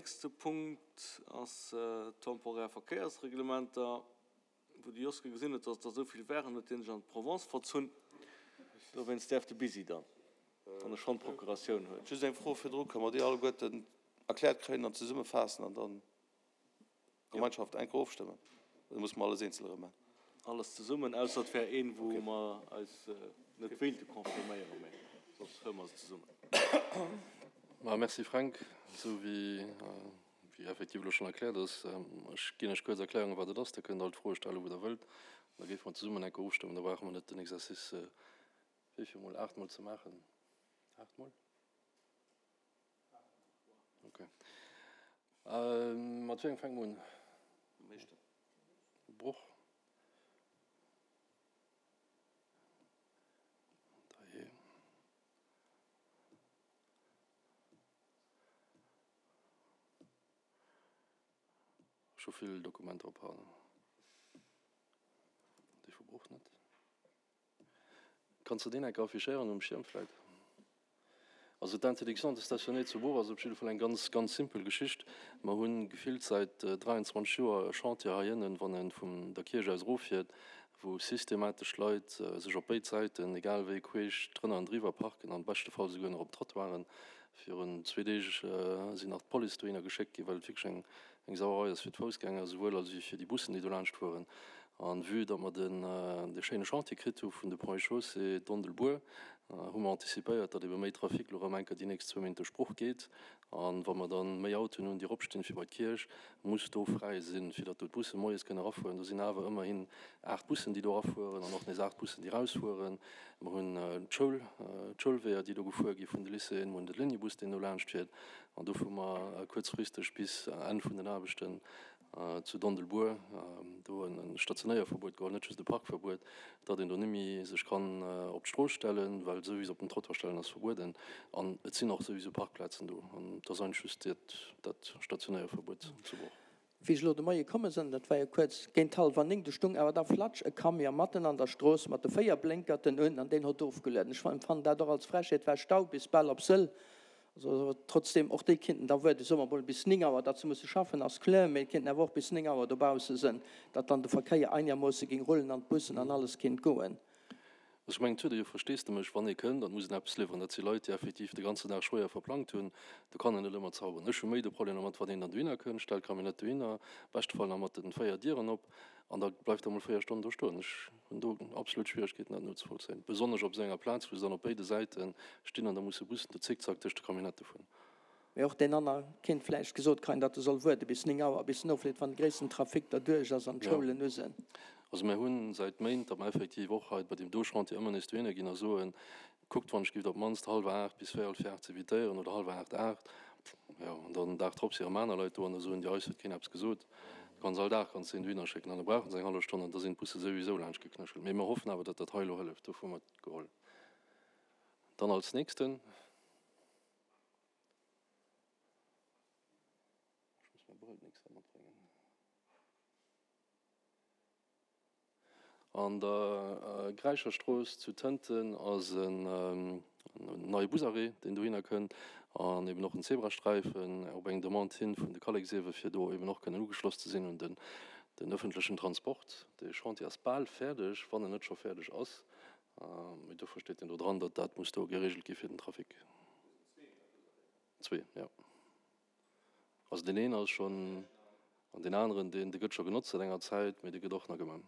Nächste Punkt ass temporär Verkéiersreglementer, wou de Joske gesinn huet, dass et der esou vill waren, huet hien sech an d'Provence verzunn. Dowéinst däerf de Busy dann, wann e schonn d'Procuratioun huet. Just eng Fro virdru, Kënne mer déi alleguerten erkläert kréien an zesummefaassen an dann Gemeinschaft eng Kéier ofstëmmen? Oder musse mer alles eenzel erëm maachen? Alles zesummen, ausser et wär een, wou mer eis net wéilte confirméieren, mä soss huele mer se zesummen. Ma merci Fränk, esou wéi wéi effektiv elo schonn erkläert ass. Ech ginn Iech kuerz Erklärungen, wat et ass, da kënnt Der all d'Froe stellen, wou Der wëllt. An da géife mer zesummen eng Kéier ofstëmmen, da brauche mer net den Exercice wéi vill mol, aachtmol ze maachen. Aachtmol? Ok. Mat wéi engem fänke mer un? Mam éischten. Bruch. Dajee. Ech hu vill Dokumenter op haut. Déi vu Bruch net. Kanns de deen enker affichéieren um Schierm vläit? Also d'Interdiction de stationner zu Bruch ass op jidde Fall eng ganz, ganz simpel Geschicht. Mer hu gefillt säit 23 Joer e Chantier hei ënnen, wann ee vun der Kierch aus eroffiert, wou systematesch Leit sech op béid Säiten, egal wéi, queesch drënner an driwwer parken an beschte Fall souguer nach op d'Trottoiren. Virun zwee Deeg sinn nach d'Police dohinner geschéckt ginn, well et wierklech eng Eng Sauerei ass fir d'Foussgänger esouwuel als wéi fir déi Bussen, déi do laanscht fueren. An vue datt mer den dee schéine Chantier kritt hu vun de Ponts et Chaussées Dondelbuer, hu mer anticipéiert, datt ebe méi Trafic lo erëm enker déi nächst zwou Méint duerch Bruch geet. An wa mer dann méi Autoen hunn, déi eropstinn fir bei d'Kierch, muss do fräi sinn, fir datt do d'Busse moies kënne erafueren. Do sinn awer ëmmerhin 8 Bussen, déi do erafueren an och nees 8 Bussen, déi erausfueren. Mer hunn d'Schoul, d'Schoulweeër, déi do gefuer gi vun de Lycéeën. Mer hunn de Lignebus, deen do laanscht fiert. An dofir hu mer kuerzfristeg bis Enn vun den Aarbechten zu Dondelbuer do e Stationéierverbuet geholl, net just e Parkverbuet, datt een do net méi sech kann op d'Strooss stellen, well souwisou op den Trottoir stellen ass verbueden an et sinn och souwisou Parkplazen do. An et ass eigentlech just dat Stationéierverbuet zu Bruch. Wéi ech elo de Moie komme sënn, dat war jo kuerz géint hallwer 9, du stung awer da flatsch e Camion matten an der Strooss mat de 4 Blénkerten un an deen hott ofgelueden. Ech empfannen dat och als Frechheet, war Stau bis bal op Sëll. Also trotzdem, och déi kinnten da wuarden, soe mer mol bis 9 Auer, datt se musse schaffen ass kloer, mee et kinnten awer och bis 9 Auer dobausse sënn, datt dann de Verkéier einermoosse ging rullen an d'Bussen an alles kinnt goen. Also ech mengen, et huet ee jo Versteesdemech, wann ee kënnt an et muss een eppes liwweren. Dat si Leit, déi effektiv de ganzen Dag schwéier verplangt hunn. Do kann een net ëmmer zauberen. Ech hu méi de Problem dermat, wann een dann dohinner kënnt, stellt d'Camionnette dohinner, beschte Fall nach mat de 4 Dieren op, an da bleift der emol 4 Stonnen do stoen. Ech hunn do absolut Schwieregkeeten, dat nozevollzéien, besonnesch op esou enger Plaz, wou se dann op béide Säite stinn an da musse Bussen do zickzack tëscht de Camionnettë fueren. Mee och deen anner kéint vläicht gesot kreien, datt e soll wuarde bis 9 Auer, bis en ofleet, wann de gréissten Trafic derduerch ass an d'Schoulen u sinn. Also mir hu säit Méint, datt mer effektiv och hei bei deem do Chantier ëmmer nees dohinner ginn a soen, kuckt wann ech giff op d'mannst hallwer 8 bis véierel vir 8 z'evitéieren oder hallwer 8, 8, jo, an dann den Dag drop si erëm aner Leit do an da soen déi, eis huet keen eppes gesot. Du kanns all Dag kanns de een dohinner schécken an da brauche se eng hallef Stonn an da sinn d'Busse souwisou laanscht geknéchelt. Mee mir hoffen awer, datt dat hei elo hëlleft. Dofir hu mer et geholl. Dann als nächsten. Ech muss mäi Brëll d'nächst Kéier matbréngen. An der Gräicherstrooss zu Tënten ass en neie Busarrêt, deen dohinner kënnt, an eben och en Zebrasträifen op eng Demande hin vun de Kalleksewe fir do eben och kënnen ugeschloss ze sinn un den ëffentlechen Transport. De Chantier ass bal fäerdeg, wann en net scho fäerdeg ass. Mee dofir steet en do dran, datt dat muss do geregelt gi fir den Trafic. Zwee, jo. Also deen een ass schonn, an deen aneren, deen, dee gëtt scho genotzt säit enger Zäit, mee dee gëtt och nach gemaach.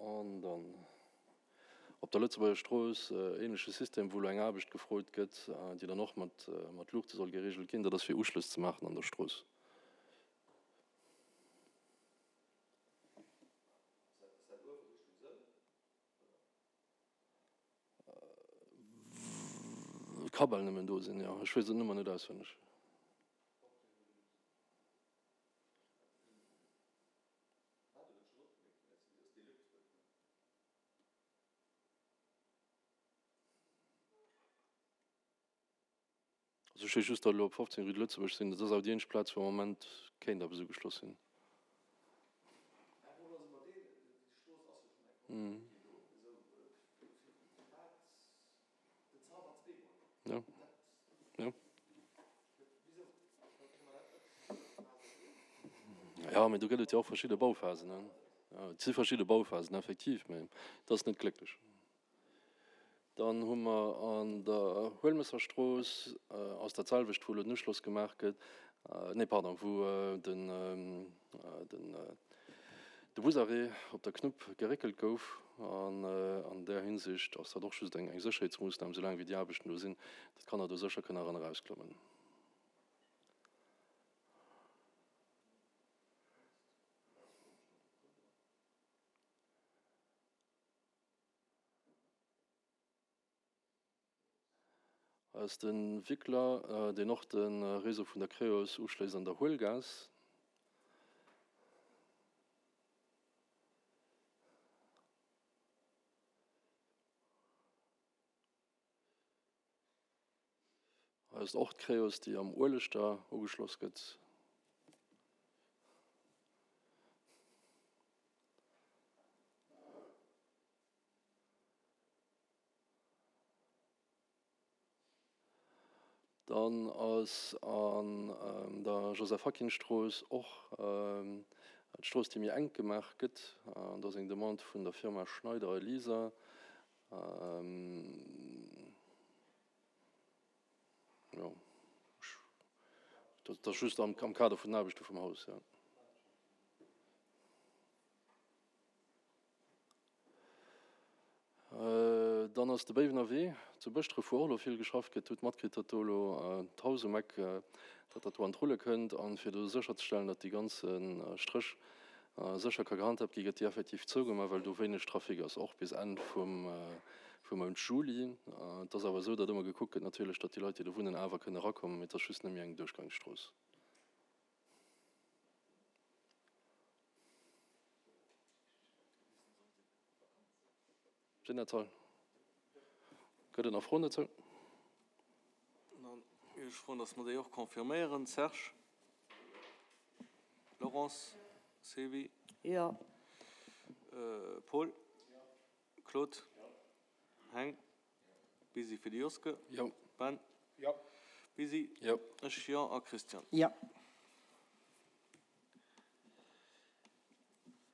An dann op der Lëtzebuerger Strooss, ähnleche System, wou elo eng Aarbecht gefrot gëtt, déi dann och mat, mat Luuchte soll geregelt ginn, dat ass fir Uschlëss ze maachen an der Strooss. Ka bal nëmmen do sinn, jo. Ech weess et nëmmer net auswenneg. Also ech weess just, datt elo op 15 Rue de Lëtzebuerg sinn. Dat ass awer déi eenzeg Plaz, wou am Moment kéint eppes ugeschloss sinn. Jo. Jo. Jo, mee do gëtt et jo och verschidde Bauphasen, ne? Jo, et si verschidde Bauphasen, effektiv, mee et ass net glécklech. Dann hu mer an der Huelmësserstrooss, ass dat selwecht, wou elo den Uschloss gemaach gëtt, nee, pardon, wou den, den, de Busarrêt op der Knupp geréckelt gouf. An an där Hinsicht ass dat och just eng Sécherheetsmoossnam, soulaang wéi déi Aarbechten do sinn, datt d'Kanner do sécher kënnen eran erausklommen. Ass de Wickler, deen och de Réseau vun der Creos uschléisst an der Huelgaass. Hei ass och d'Creos, déi am Ueleschter ugeschloss gëtt. Dann ass an der Joseph-Hackin-Strooss och d'Strooss, déi méi enk gemaach gëtt. Do ass eng Demande vun der Firma Schneider Elisa. Jo, dat ass just am Kader vun den Aarbechte vum Haus, jo. Dann ass de Béiwener Wee zu Bëschdref, wou och elo vill geschafft gëtt. Hutt matkritt, datt do elo d'Haus um Eck, datt dat do an d'Rulle kënnt. An fir do sécherzestellen, datt dee ganze Stréch sécher ka gehandhaabt ginn, gëtt déi effektiv zougemaach, well do wéineg Trafic ass, och bis Enn vum Mount Juli. Et ass awer esou, datt ëmmer gekuckt gëtt natierlech, datt déi Leit, déi do wunnen, awer kënne erakommen, mee et ass just net méi eng Duerchgangsstrooss. Général. Gëtt et nach Froen dozou? Dann géif ech froen, dass mer déi och confirméieren. Serge? Laurence? Sylvie? Jo. Paul? Claude? Heng? Busy fir de Joske? Jo. Ben? Jo. Busy? Jo. Ech jo. A Christian? Jo.